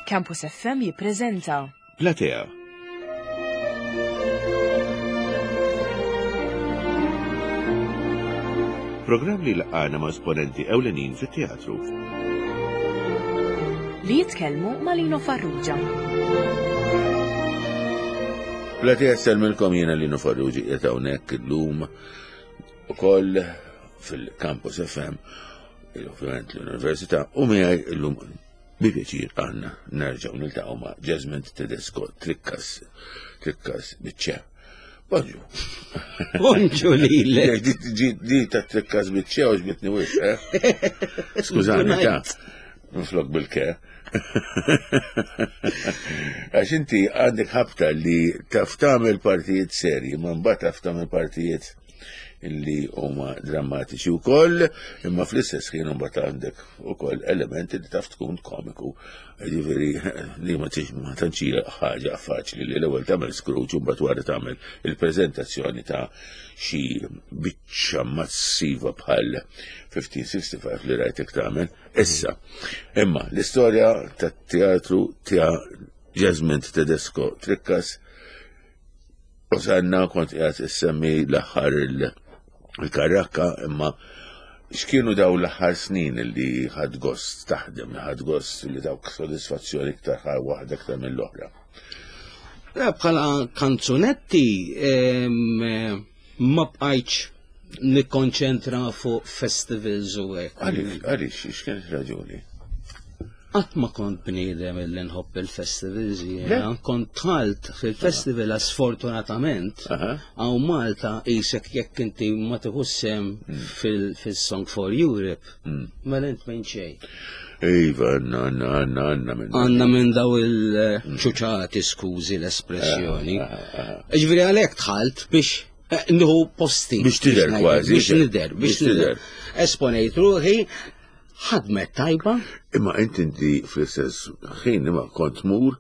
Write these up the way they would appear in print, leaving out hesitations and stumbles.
Campus FM jippreżenta Platea. Programm li laqgħana ma' esponenti ewlenin fit-teatru. Li jitkellmu ma' Lino Farrugia. Platea sellmilkom jiena Lino Farrugia qiegħed hawnhekk illum ukoll fil-Campus FM, ovvjament l-Università, u miegħi illum bi pjaċir għandna nerġgħu niltaqgħu ma' Jasmine Tedesco Trikkas, Trikkas biċċe. Bonġu. Bonġu lilek. Di ta' Trikkas biċċe u ġbitni wis, eh? Skużani, ta' nflok bil-ke. Għax inti għandek ħabta li taf tagħmel partijiet serji, ma mbagħad taf tagħmel partijiet illi huma drammatiċi wkoll, imma fl-istess ħin imbagħad għandek ukoll elementi li taf tkun komiku. Ġifieri li ma ma tantx hija ħaġa faċli li l-ewwel tagħmel Scrooge u mbagħad wara tagħmel il-preżentazzjoni ta' xi biċċa massiva bħal 1565 li rajtek tagħmel. Issa, imma l-istorja tat-teatru ta' Jasmine Tedesco Trikkas Osanna kont qiegħed issemmi l-aħħar il-karrakka imma x'kienu daw l-aħħar snin li ħadd gost taħdem, li ħadd gost li dawk sodisfazzjoni iktar waħda iktar mill-oħra? Bħala kanzunetti ma bqajtx nikkonċentra fuq festivals u hekk. Għaliex, għaliex, x'kienet raġuni? Qatt ma kont bniedem illi nħobb il-festivals jiena, kont dħalt fil-festival għax sfortunatament hawn Malta qisek jekk inti ma tieħux sehem hmm. fil-Song for Europe, hmm. mela int minn xejn. Iva, għanna, għanna, għanna, għanna minn. Għanna minn daw il-ċuċati, skużi l-espressjoni. Ġifieri għalhekk dħalt biex eh, nħu posti. Biex tidher kważi. Biex nidher, biex nidher. Esponejt ruħi, Ħadmet tajba. Imma inti inti fl-istess ħin imma kont tmur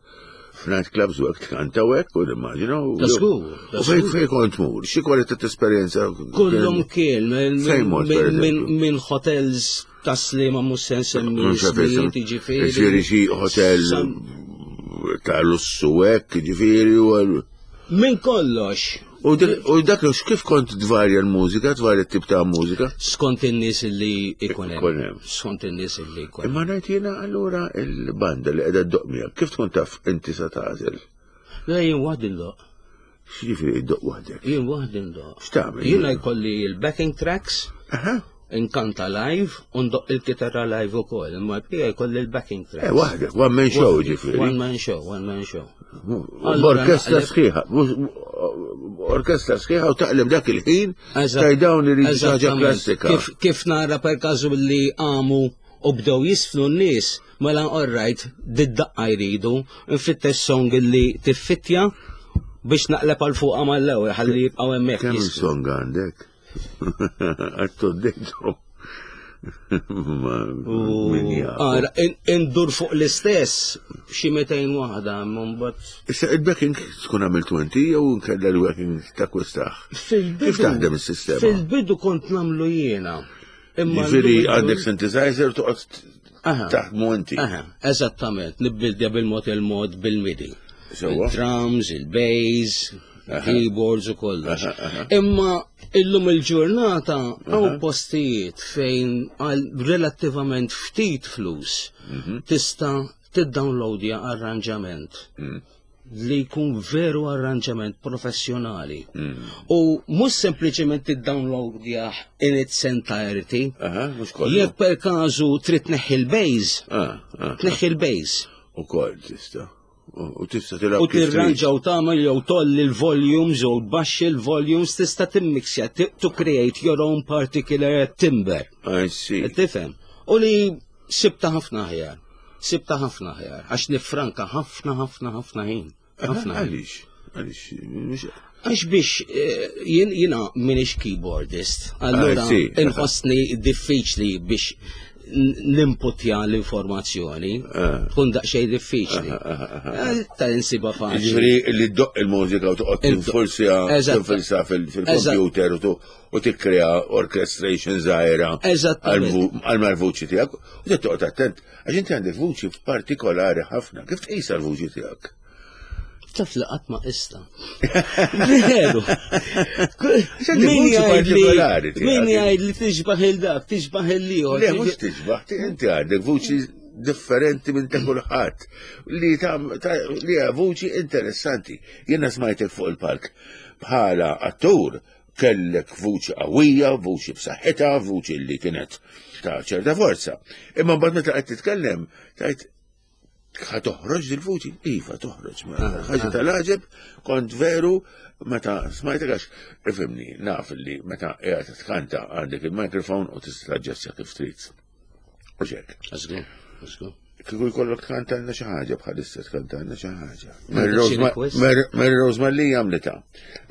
f'night clubs u hekk tkanta u hekk u nimmaġina. U fejn fejn kont tmur? Xi kwalità ta' esperjenza? Kullum kien minn hotels ta' Sliema mhux se nsemmi ismijiet, jiġifieri. Ġifieri xi hotel ta' lussu hekk, jiġifieri u Minn kollox. U dak kif kont tvarja l-mużika, tvarja t-tip ta' mużika? Skont in-nies li ikun hemm. Skont in-nies li ikun hemm. Imma ngħid jiena allura il-banda li qiegħda ddoq miegħek, kif tkun taf inti sa tagħżel? Le jien waħdi ndoq. X'jiġifieri ddoq waħdek? Jien waħdi ndoq. X'tagħmel? Jiena jkolli l-backing tracks. Aha inkanta live u ndoq il-kitarra live ukoll, imma l-bqija jkolli l-backing track. Eh, waħdek, one man show ġifieri. One man show, one man show. Orkestra sħiħa, orkestra sħiħa u taqleb dak il-ħin taj dawn li ħaġa klassika. Kif nara per każu li għamu u bdew jisfnu n-nies, mela all right, did-daqqa jridu, nfittex song li tiffittja biex naqleb għal fuqha mal-ewwel ħalli jibqgħu hemmhekk. Kemm song għandek? Għattu d-dejtu. Ara, indur fuq l-istess xi 200 waħda, mbagħad. Issa il-backing tkun għamiltu inti jew nkella l-backing ta' kwistaħ? Kif taħdem is-sistema? Fil-bidu kont nagħmlu jiena. Imma Ġifieri għandek synthesizer toqgħod taħdmu inti. Eżattament, nibbildja bil-mod il-mod bil-MIDI. Il-drums, il-bass, keyboards u kollox. Imma illum il-ġurnata hawn postijiet fejn għal relattivament ftit flus mhm. tista' tiddownloadja arranġament mm. li jkun veru arranġament professjonali. Mm. U mhux sempliċement tiddownloadja in its entirety. Jekk per każu trid tneħħi l-bass, ah, ah, tneħħi l-bass. Ukoll tista'. U tista' tilgħab. U tirranġa u tagħmel jew tolli l-volumes jew tbaxxi l-volumes tista' timmixja to create your own particular timber. I see. Tifhem. U li sibta ħafna aħjar. Sibta ħafna aħjar. Għax nifranka ħafna ħafna ħafna ħin. Ħafna. Għaliex? Għaliex? Għax biex eh, jien jiena minix keyboardist, allura inħossni diffiċli biex. nimputja l-informazzjoni, eh. tkun daqsxejn diffiċli. Eh, eh, ta' insiba faċli. Ġifieri li ddoq il-mużika u toqgħod tinfulsja tinfulsa fil-computer u tikkrea orchestration żgħira għal mal-vuċi tiegħek u toqgħod attent għax inti għandek vuċi partikolari ħafna. Kif tqisha l-vuċi tiegħek? Taf li qatt ma qista. Veru. Min Min jgħid li tixbaħ il-dak, tixbaħ il-liħor. Le, mhux tixbaħ, inti għandek vuċi differenti minn ta' kulħadd li ta' li hija vuċi interessanti. Jiena smajtek fuq il-palk bħala attur kellek vuċi qawwija, vuċi b'saħħitha, vuċi li kienet ta' ċerta forza. Imma mbagħad meta qed titkellem, tajt ħa toħroġ dil-vuċi? Iva, toħroġ. Ah, ħaġa ah. tal-ħaġeb, kont veru, meta smajtek għax, ifimni, naf li meta qiegħed tkanta għandek il-mikrofon u tista' taġġestja kif trid. U xek. Għażgu, Kieku jkollok tkantanna xi ħaġa bħalissa tkantanna xi ħaġa. Mary Rose Malli għamlita.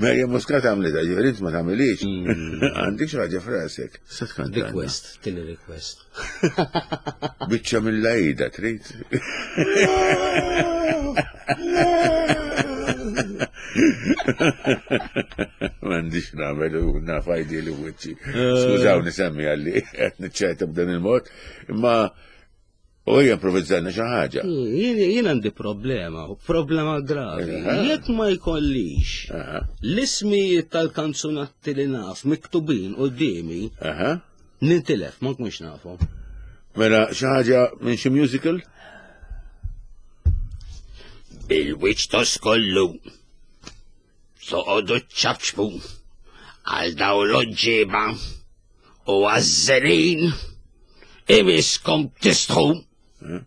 Mary Muscat għamlita, ġifieri int ma tagħmilix. Mm. Għandek xi ħaġa frasek. Se tkantanna. Request, tini request. Biċċa mill-lajda trid. M'għandix nagħmel u naf għajdi li wiċċi. Eh. Skużawni semmi għalli qed niċċajta b'dan il-mod, imma u hija improvvizzajna xi ħaġa. Jien għandi problema, problema gravi. Jekk ma jkollix l-ismijiet tal-kanzunatti li naf miktubin qudiemi, Nintilef, ma nkunx nafu. Mela xi ħaġa minn xi musical? Bil-wiċċ toskollu. Toqogħdu ċċabċbu għal daw l-oġġieba u għaż-żerin imiskom tistħu. Eh?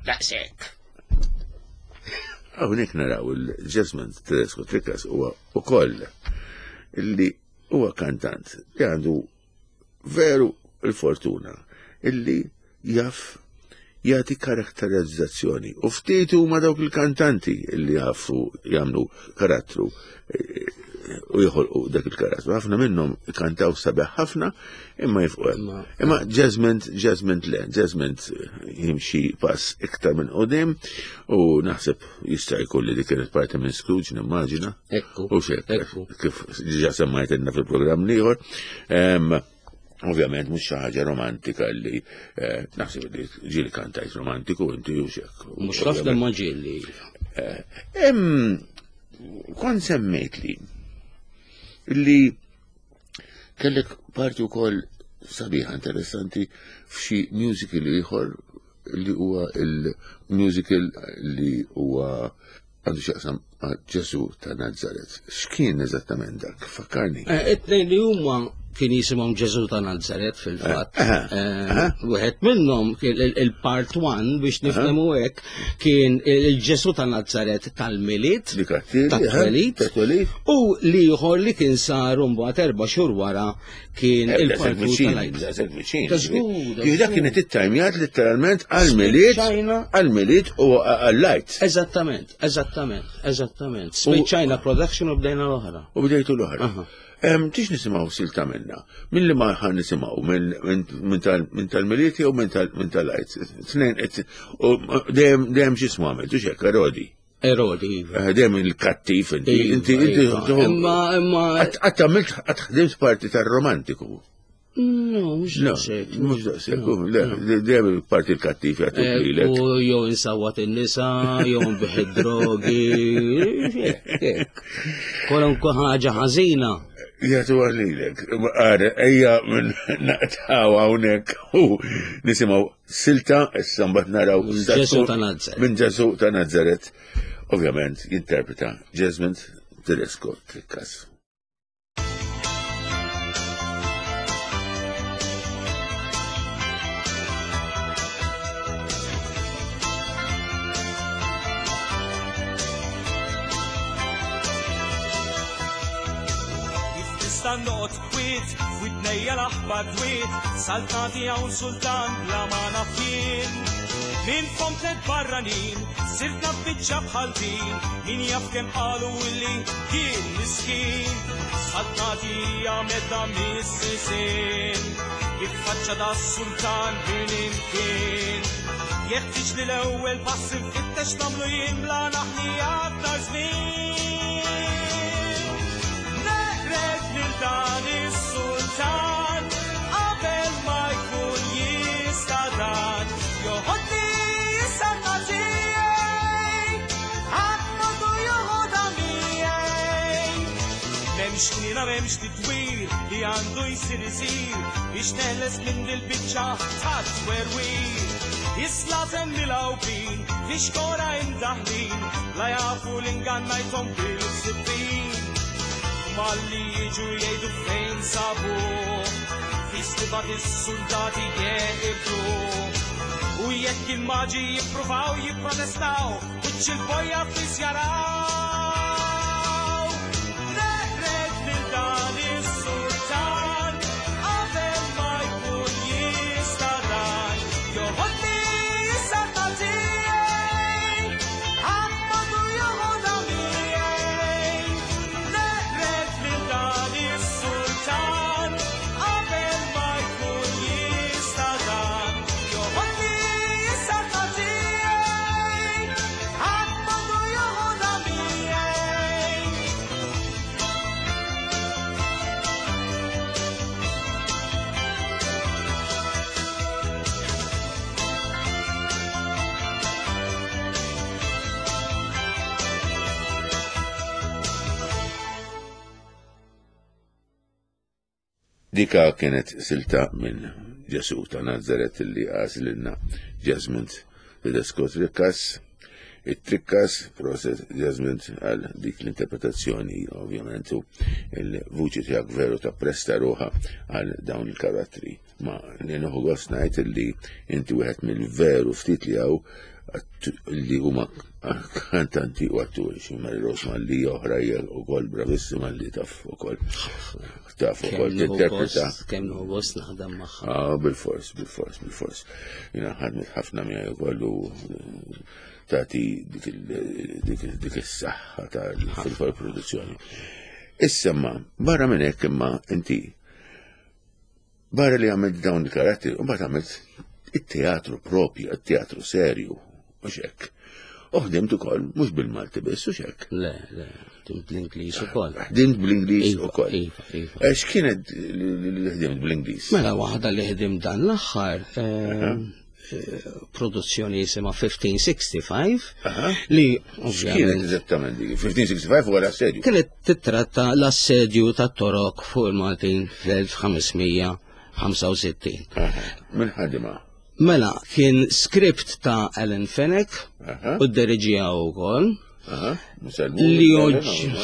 Daqshekk. Hawnhekk naraw il-Jesmond Tedesco Trikas huwa ukoll illi huwa kantant li għandu veru il-fortuna illi jaf jagħti karakterizzazzjoni. U ftit huma dawk il-kantanti li jafu jagħmlu karattru eh, u joħolqu dak il-karattru. Ħafna minnhom kantaw sabiħ ħafna imma jifqu hemm. Imma Jasmine, Jasmine le, Jasmine jimxi pass iktar minn qudiem u naħseb jista' jkun li dik kienet parti minn Scrooge nimmaġina. Ekku. U xek, kif diġà semmajtilna fil-programm l-ieħor. Ovvjament mhux xi ħaġa romantika li eh, naħseb li ġieli kantajt romantiku inti u xek. Mhux ħafna ma ġieli. Eh, kont semmejt li li kellek parti wkoll sabiħa interessanti f'xi musical ieħor li huwa il-musical li huwa għandu xaqsam ma' Ġesu ta' Nazaret. X'kien eżattament dak? Fakkarni. Eh, it-tnejn li huma kien jisimhom Ġesu ta' Nazaret fil-fatt. Eh, eh, wieħed minnhom il-part 1 biex nifhmu hekk kien il-Ġesu ta' Nazaret tal-Milied, tat-twelid, u l-ieħor li kien sar mbagħad erba' xhur wara kien il-partu tal-għajt. Dak kienet it-tajmjat letteralment għal-miliet, għal-miliet u għal-lajt. Eżattament, eżattament, eżattament. Spiċċajna production u bdejna l-oħra. U bdejtu l-oħra. Tix nisimaw silta minna? Minn li ma ħan nisimaw? Minn tal-miliet jew minn tal-lajt? Tnejn, dejjem xismu għamil, tux hekk, Rodi. Erodi. Eh, dejjem il-kattiv inti, iva, inti, inti. Iva. Imma, imma. Għat għamilt, għat ħdimt parti tal-romantiku. No, mux daqsek. Mux daqsek, le, dejjem il-parti l-kattiv jgħatu eh, lilek. U jew insawat in-nisa, jew nbiħ id-drogi, Kwalunkwe ħaġa ħażina. Jgħatu għalilek. Għara, ejja minn naqtaw hawnhekk u nisimgħu silta issa mbagħad naraw Ġesu ta' Nazaret. Minn Ġesu ta' Nazaret. Ovvjament jinterpreta Jasmine Tedesco Trikkas. Kif nista' noqgħod kwiet f'widnejja l-aħbar dwiet, saltnati hawn sultan bla ma naf jien. Minn fom tlet barranin, sirt naf biċċa bħal din, min jaf kemm qalu illi jien miskin. Saltnati hija medda mis-sisien, jitfaċċa da sultan minn imkien. Jeħtieġ li l-ewwel pass infittex nagħmlu jien bla naħli aktar żmien. Neqred lil dan is-sultan qabel ma jkun jista' dan joħodni s-saltna tiegħi. Ħadd m'għandu joħodha miegħi. M'hemmx ħniena m'hemmx tidwir li għandu jsir isir biex neħles minn dil-biċċa ta' twerwir. Is-slaten milgħubin fi xkora imdaħħlin la jafu l-ingannajthom bil-sibbin. Malli jiġu jgħidu fejn sabuh, fi stibat is-suldati jeqirduh. U jekk il-maġi jippruvaw jipprotestaw, wiċċ il-bojja fis jaraw. Neqred lil dan is-sultan qabel ma jkun jista' dan joħodni s-saltna tiegħi. Ħadd m'għandu joħodha miegħi. Neqred lil dan is-sultan qabel ma jkun jista' dan joħodni s-saltna tiegħi. Ħadd m'għandu joħodha miegħi. Dika kienet silta minn Ġesu ta' Nazaret li għażlilna Jesmond Tedesco Tricas. It-Tricas, proset Jesmond għal dik l-interpretazzjoni, ovvjament, u il-vuċi tiegħek veru ta' presta ruħa għal dawn il-karattri. Ma li nieħu gost ngħid li inti wieħed mill-veru ftit li hawn li huma kantanti u atturi, xi Mary Rose Malli oħra hija wkoll bravissima li taf ukoll taf ukoll tinterpreta. Kemm nieħu gost naħdem magħha. Ah, bil-fors, bil-fors, bil-fors. Jiena ħadmet ħafna miegħi wkoll u tagħti dik is-saħħa tal-produzzjoni. Issa ma, barra minn hekk imma inti Barra li għamilt dawn il-karattri, u mbagħad għamilt it-teatru propju, it-teatru serju, u xek. U ħdimt ukoll mhux bil-Malti biss u xek. Le, le, ħdimt bl-Ingliż ukoll. Ħdimt bl-Ingliż Iva, ukoll. Iva, iva. Ex kienet li ħdimt bl-Ingliż? Mela waħda li ħdimt dan l-aħħar, produzzjoni jisimha 1565 li X'kienet eżattament dik? 1565 huwa l-assedju. Kienet titratta l-assedju tat-Torok fuq il-Maltin fl-1565. Min ħadimha? Mela, kien skript ta' Alan Fenech u d-deriġija wkoll. Li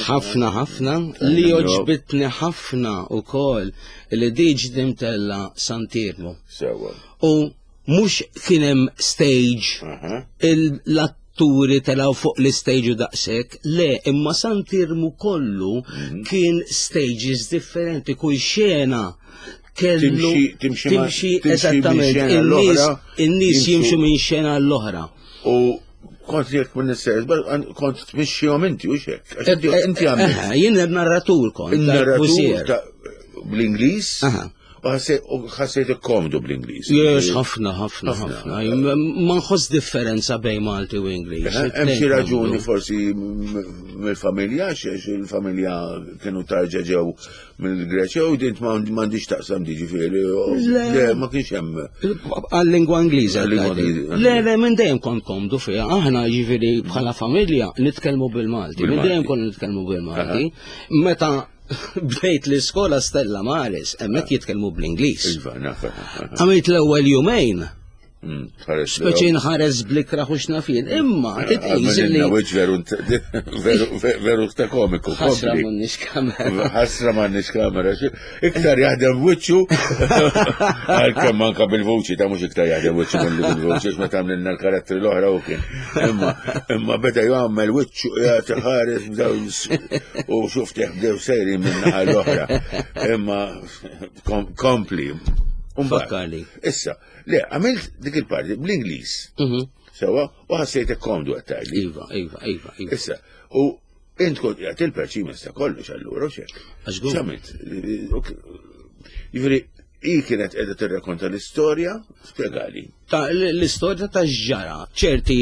ħafna ħafna, li oġbitni ħafna u kol li diġ dimtella Santirmu. U mux kienem stage, l-atturi telaw fuq l-stage u daqsek, le, imma Santirmu kollu mhm. kien stages differenti, kull xena kellu timxi eżattament, in-nies jimxu minn xena l-oħra. U kont jek minn nisser, kont tmixxihom inti u xek. Inti għamilt. Jien narratur kont. Il-narratur bl-Ingliż. U ħassejt komdu bl-Ingliż. Yes, ħafna, ħafna, ħafna. Ma nħoss differenza bejn Malti u Ingliż. Hemm xi raġuni forsi mill-familja, xiex il-familja kienu tarġa ġew mill-Greċja u dint m'għandix taqsam di ġifieri. Le, ma kienx hemm. Għal-lingwa Ingliża. Le, le, minn dejjem kont komdu fiha. Aħna ġifieri bħala familja nitkellmu bil-Malti. Minn dejjem konna nitkellmu bil-Malti. Meta bdejt l-iskola Stella Maris, hemmhekk jitkellmu bl-Ingliż. Iva, naf. Għamilt l-ewwel jumejn Mm, Speċi nħares blikra u xnafien, imma titqis li. Veru veru ta' komiku. Ħasra m'għandniex kamera. Ħasra m'għandniex kamera. Iktar jaħdem wiċċu għalkemm anka bil-vuċi ta' mhux iktar jaħdem wiċċu milli bil-vuċi għax meta għamlilna l-karattri l-oħra u kien. Imma imma beda jagħmel wiċċu qiegħed iħares bdew u xuftih bdew sejrin minn naħa l-oħra. Imma kompli. Fakkarli. Issa, le, għamilt dik il-parti bl-Ingliż. Mhm. Sewa, u ħassejtek komdu għattajli. Iva, iva, iva, iva. Issa, u int kont qiegħed il-perċimens ta' kollox allura, u xek. X'għamilt? Jiġifieri, hi kienet qiegħda tirrakonta l-istorja, spjegali. Ta' l-istorja ta' ġara, ċerti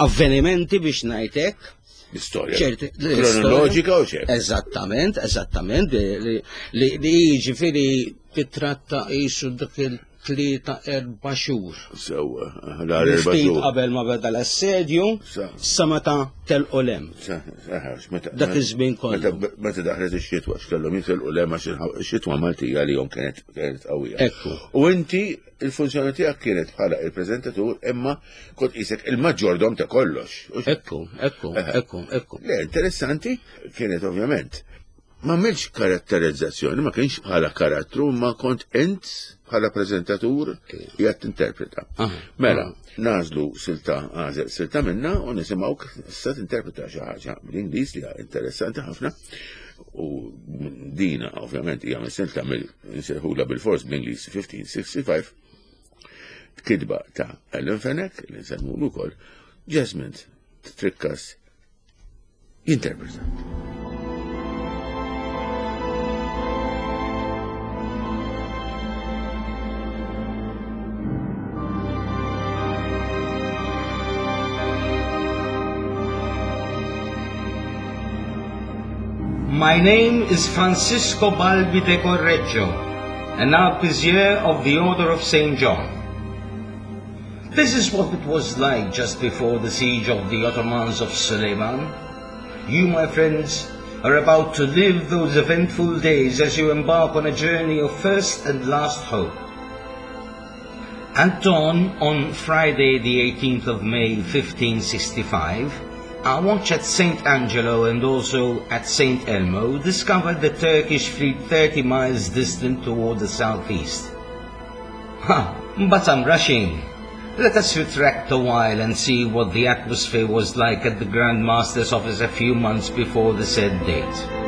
avvenimenti biex ngħidlek. L-istorja. ċerti. Kronoloġika u xek. Eżattament, eżattament, li jiġifieri titratta qisu dak il tlieta erba' xhur. Sewwa, l-għar erba' xhur. Qabel ma beda l-assedju, sa meta telqu lem. Dak iż-żmien kollu. Meta daħlet ix-xitwa, x'kellhom jitilqu lem għax ix-xitwa Maltija li jom kienet kienet qawwija. Ekku. U inti il-funzjoni tiegħek kienet bħala il-preżentatur imma kont qisek il-maġġordom ta' kollox. Ekku, ekku, ekku, ekku. Le, interessanti kienet ovvjament Ma għamilx karatterizzazzjoni, ma kienx bħala karattru, ma kont int bħala prezentatur jgħat tinterpreta. Mela, nażlu silta, għażel silta minna u nisimgħuk issa tinterpreta xi ħaġa bl-Ingliż li interessanti ħafna. U dina ovvjament hija minn silta mill nsejħula bil-fors bl-Ingliż 1565 kitba ta' Ellen Fenech li nsemmulu wkoll Jasmine Trikkas jinterpreta. My name is Francisco Balbi de Correggio, an arquebusier of the Order of St. John. This is what it was like just before the siege of the Ottomans of Suleiman. You, my friends, are about to live those eventful days as you embark on a journey of first and last hope. At dawn on Friday, the 18th of May, 1565, our watch at St. Angelo and also at St. Elmo discovered the Turkish fleet 30 miles distant toward the southeast. Ha! But I'm rushing. Let us retract a while and see what the atmosphere was like at the Grand Master's office a few months before the said date.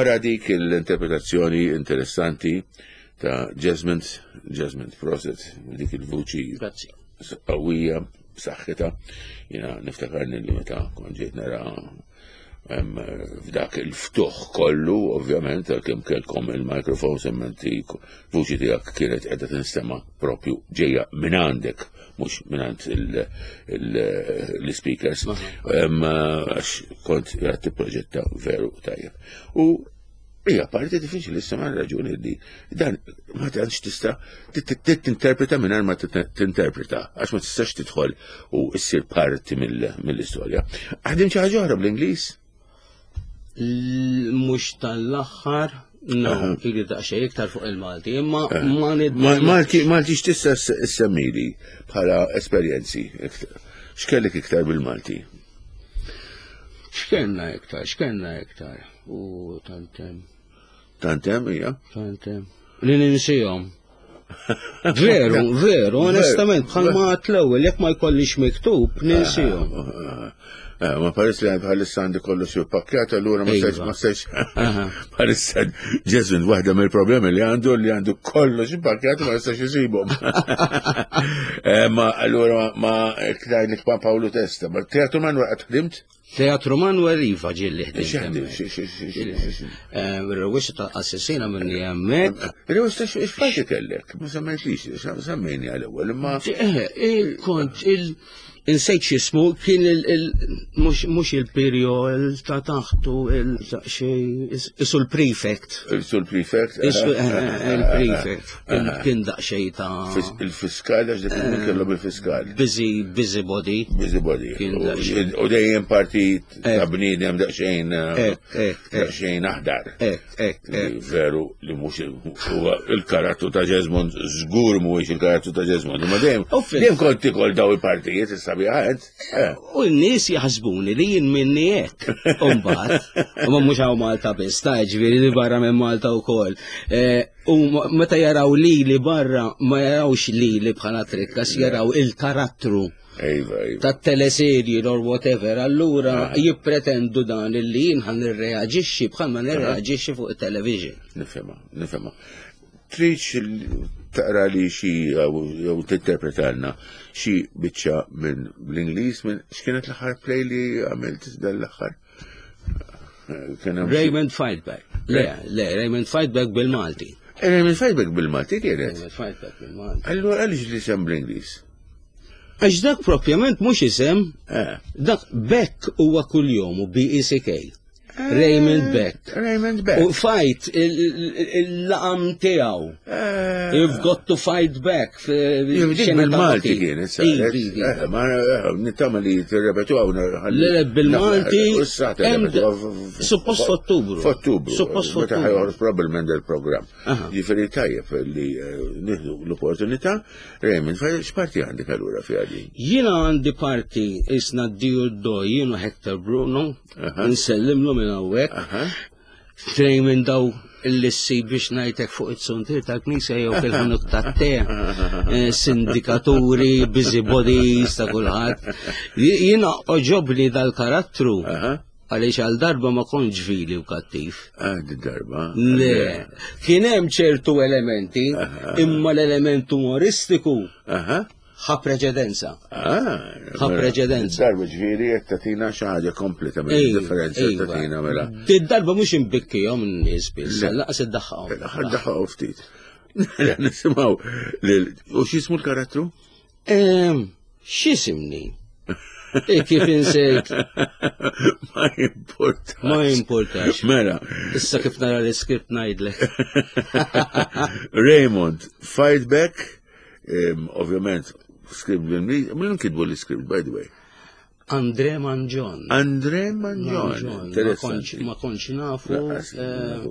Wara dik l-interpretazzjoni interessanti ta' Jasmine, Jasmine Proset, dik il-vuċi qawwija, b'saħħitha. Jiena niftakarni li meta kont ġejt nara f'dak il-ftuħ kollu, ovvjament, għalkemm kellkom il-microphone semmenti vuċi tiegħek kienet qiegħda tinstema' propju ġejja minn għandek, mhux minn għand l-speakers, għax kont qiegħed tipproġetta veru tajjeb. U Hija parti diffiċli issa ma raġuni li dan ma tantx tista' tinterpreta mingħajr ma tinterpreta għax ma tistax tidħol u ssir parti mill-istorja. Ħadim xi ħaġa oħra bl-Ingliż? Mhux tal-aħħar, no, ili daqsxejn iktar fuq il-Malti, imma ma Malti Malti x'tista' ssemmili bħala esperjenzi? X'kellek iktar bil-Malti? X'kellna iktar, x'kellna iktar? U tantem. Tantem, hija? Tantem. Li ninsihom. Veru, veru, onestament, bħalma għat l-ewwel, jekk ma jkollix miktub, ninsihom. Ah, ah, ah, ma paris li bħalissa għandi kollu xi pakkjat, allura ma stajx, ma stajx. Bħalissa Jason, waħda mill-problemi li għandu li għandu kollu xi pakkjat ma jistax isibhom. Eh, ma allura ma iktar li Paolo Testa, ma teatru Manuel qatt ħdimt? Teatru Manuel Iva ġilli ħdimt. Ir-rewwixta ta' qassisina minni hemmhekk. Ir-rewwixta x'faċi kellek? Ma semmejtlix, semmejni għal-ewwel imma. Eh, kont il Insejt x'ismu kien il mhux il-pirjo ta' taħtu il xej isu l-prefect. Isu l-prefect. Eh, eh, il-prefect. Kien daqsxejn ta' Il-fiskal għax dik il kellhom il-fiskal. Busy, busy body. Busy body. U dejjem parti. parti ta' bniedem daqsxejn daqsxejn aħdar. Veru li mhux huwa il-karattru ta' Jesmond żgur mhuwiex il-karattru ta' Jesmond, imma dejjem dejjem kont tikol daw il-partijiet is-sabiħa int. U n-nies jaħsbuni li jien minni hekk. U mbagħad, u ma mhux hawn Malta biss, ta' ġifieri li barra minn Malta wkoll. U meta jaraw lili barra ma jarawx lili bħala trikkas, jaraw il-karattru. Iva, iva. Ta' teleserji or whatever, allura jippretendu dan illi jien ħan nirreaġixxi bħalma nirreaġixxi fuq it-television. Nifhimha, nifhimha. Trid taqra li xi jew tinterpretalna xi biċċa minn bl-Ingliż minn x'kienet l-aħħar play li għamilt dan l-aħħar? Raymond Fightback. Le, le, Raymond Fightback bil-Malti. Eh, Raymond Fightback bil-Malti kienet. Raymond Fightback bil-Malti. Allura għaliex li sem bl-Ingliż? Għax dak propjament mhux isem, eh. dak Beck huwa kuljom u B-E-C-K. Raymond Beck. Raymond Beck. U fight il-laqam tiegħu. Eh. You've got to fight back. Dik bil-Malti kienet saret. Eh, ma eh, nittama li tirrepetu għaw. Le bil-Malti. Suppost f'Ottubru. F'Ottubru. Suppost f'Ottubru. Meta ħajħorġ probabbilment il-programm. Ġifieri tajjeb li nieħdu l-opportunità. Raymond, x'parti għandek allura fiha din? Jiena għandi parti isna d-diju d-doj, jiena Hector Bruno. Nsellimlu minn hawnhekk. Trej minn daw l-lissi biex ngħidlek fuq it-suntir tal-knisja jew fil-ħanut tat-te, eh, sindikaturi, busybodies ta' kulħadd. Jiena oġobni dal-karattru għaliex għal darba ma kontx vili u kattiv. Ah, darba. Le, kien hemm ċertu elementi, imma l-element umoristiku ħa preċedenza. Ah, ħa mela. preċedenza. Darba ġifieri qed tagħtina xi ħaġa kompletament differenza tagħtina mela. Darba mhux imbikkihom n-nies biss, laqas iddaħħaqhom. L-aħħar daħħaqhom ftit. Mela, nisimgħu u x'ismu l-karattru? Ehm, x'isimni? E kif insejt? Ma jimportax. Ma jimportax. Mela. Issa kif nara l-iskript ngħidlek. Raymond, fight back Ovvjament, script bil-Ingliż, min kitbu l-script, by the way? Andre Manġon. Andre Manġon. Ma konċ nafu. Eh,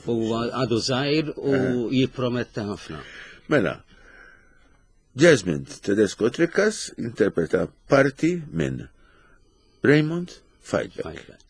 huwa għadu zaħir u eh. jipprometta ħafna. Mela, Jasmine Tedesco Trickas interpreta parti minn Raymond Fightback. Fightback.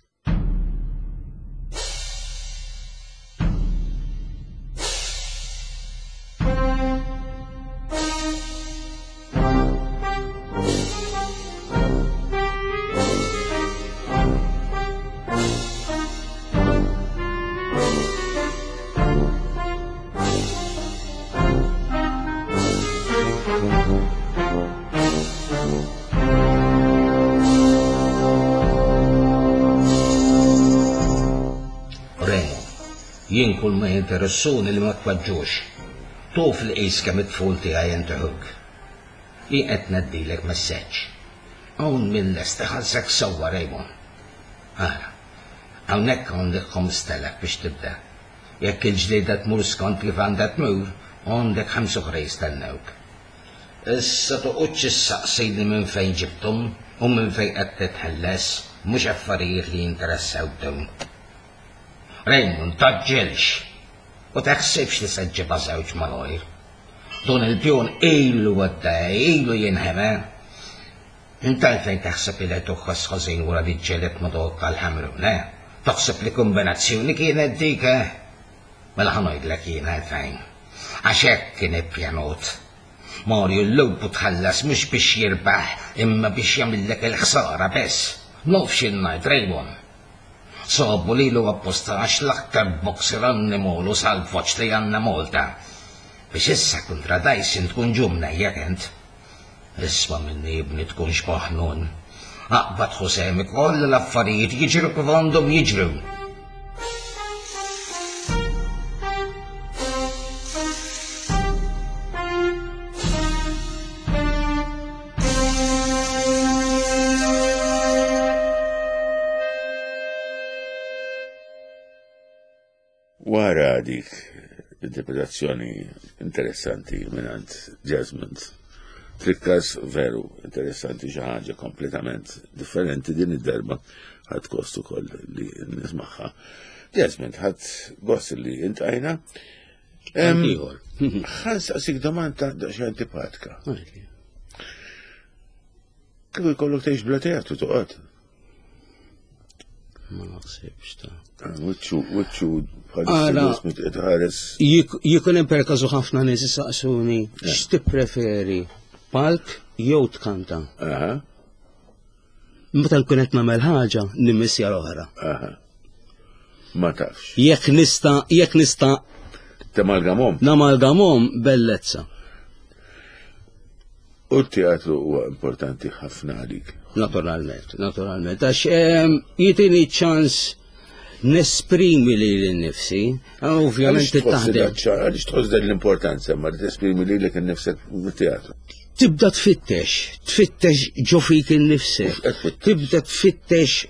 Remo, jien kull ma jinteressuni li ma twaġġux. Tuf li qis kemm it-tful tiegħi jentehuk. Jien qed ngħaddilek messaġġ. Hawn min lest iħallsek sewwa Raymond. Ara, hawnhekk għandek 5,000 biex tibda. Jekk il-ġlieda tmur skont kif għandha tmur, għandek ħamsa oħra jistennewk. Issa toqgħodx issaqsini minn fejn ġibthom u minn fejn qed titħelles, mhux affarijiet li jinteressawk dawn. Raymond, tgħaġġilx! U taħsibx li se ġġibha żewġ malajr. Dun il-pjun ilu għaddej, ilu jinħema. Int għalfejn taħseb li qed tħoss ħażin wara li ġġelidt ma' dawk tal-Ħamrun, eh? Taħseb li kumbinazzjoni kienet dik, eh? Mela ħa ngħidlek jien għalfejn. Għax hekk kien ippjanut. Mario l-lupu tħallas mhux biex jirbaħ imma biex jagħmillek il-ħsara biss. Naf x'in ngħid, Raymond. Sabu lilu apposta għax l-aktar boxer annimolu salvoġġ li għandna Malta. Biex issa kontra Dyson tkun ġu mnejjek int. Isma' minni ibni tkunx maħnun. Aqbad ħu sehmek u ħalli l-affarijiet jiġru kif għandhom jiġru. Wara dik interpretazzjoni interessanti mingħand Jasmine. Trikkas veru interessanti xi ħaġa kompletament differenti din id-darba ħadd gost ukoll li nismaħħa. Jasmine, ħadd gost li intajna. Ieħor. Ħa nsaqsik domanda xi antipatika. Kieku jkollok tgħix bla teatru toqgħod? Ma naħsibx ta' ah, Wiċċu, wiċċu, bħal Jikun hemm per każu ħafna nies isaqsuni eh. x'tippreferi palk jew tkanta. Meta nkun qed nagħmel ħaġa nimmissja l-oħra. Ma tafx. Jekk nista' jekk nista' Tamalgamhom. Namalgamhom bellezza. U t-teatru huwa importanti ħafna għalik. Naturalment, naturalment. Għax ehm, jitini ċans nesprimi li l-nifsi, ah, ovvjament taħdem. Għaliex tħoss dan l-importanza ma tesprimi li l nifsek teatru? Tibda tfittex, tfittex ġo fik innifsek, tibda tfittex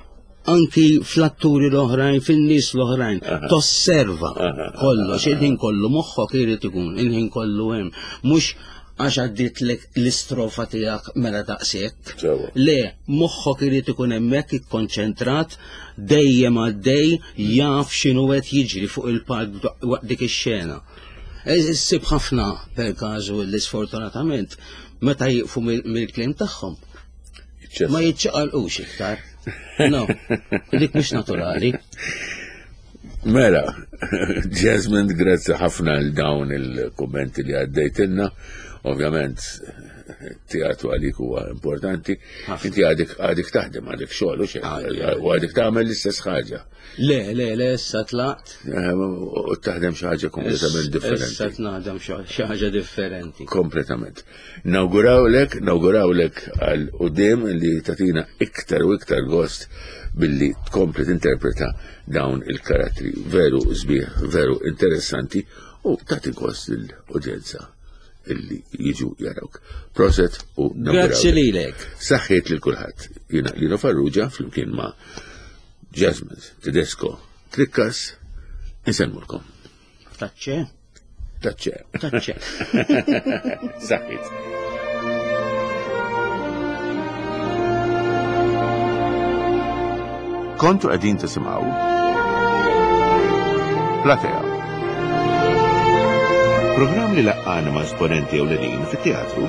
anki fl-atturi l-oħrajn, fin-nies l-oħrajn, tosserva kollox, il-ħin kollu moħħok irid ikun, il-ħin kollu hemm, mhux għax għadditlek l-istrofa tiegħek mela daqshekk. Le, moħħok irid ikun hemmhekk ikkonċentrat dejjem għaddej jaf x'inhu qed jiġri fuq il-palk waqt dik ix-xena. E, issib ħafna per każu li sfortunatament meta jieqfu mill-kliem tagħhom Ma jiċċaqalqux iktar. No, dik mhux naturali. Mela, Jasmine, grazzi ħafna għal dawn il-kommenti li għaddejtilna. Ovvjament, teatru għalik huwa importanti. Inti għadek għadek taħdem, għadek xogħol u għadek tagħmel l-istess ħaġa. Le, le, le, issa tlaqt. Eh, u taħdem xi ħaġa kompletament differenti. Issa naħdem xi ħaġa differenti. Kompletament. Nawgurawlek, nawgurawlek għal qudiem li tatina iktar u iktar gost billi tkompli tinterpreta dawn il-karattri veru sbieħ, veru interessanti u tagħti gost lill-udjenza illi jiġu jarawk. Proset u nawgurawlek. Grazzi lilek. Saħħiet lil kulħadd. Jiena Lino Farrugia flimkien ma' Jasmine Tedesco Trikkas insellmulkom. Taċċe. Taċċe. Taċċe. Saħħit. Kontu qegħdin tisimgħu Platea. Programm li laqqana ma' esponenti ewlenin fit-teatru.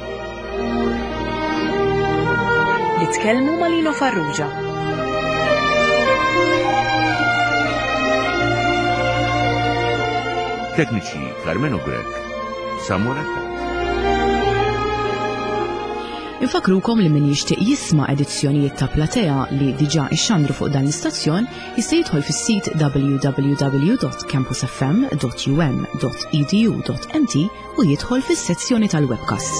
Nitkellmu ma' Lino Farrugia. Tekniċi Carmenu Grech, Samuel Attard. Infakrukom li min jixtieq jisma' edizzjonijiet ta' Platea li diġà ixxandru fuq dan l-istazzjon jista' jidħol fis-sit www.campusfm.um.edu.mt u jidħol fis-sezzjoni tal-webcasts.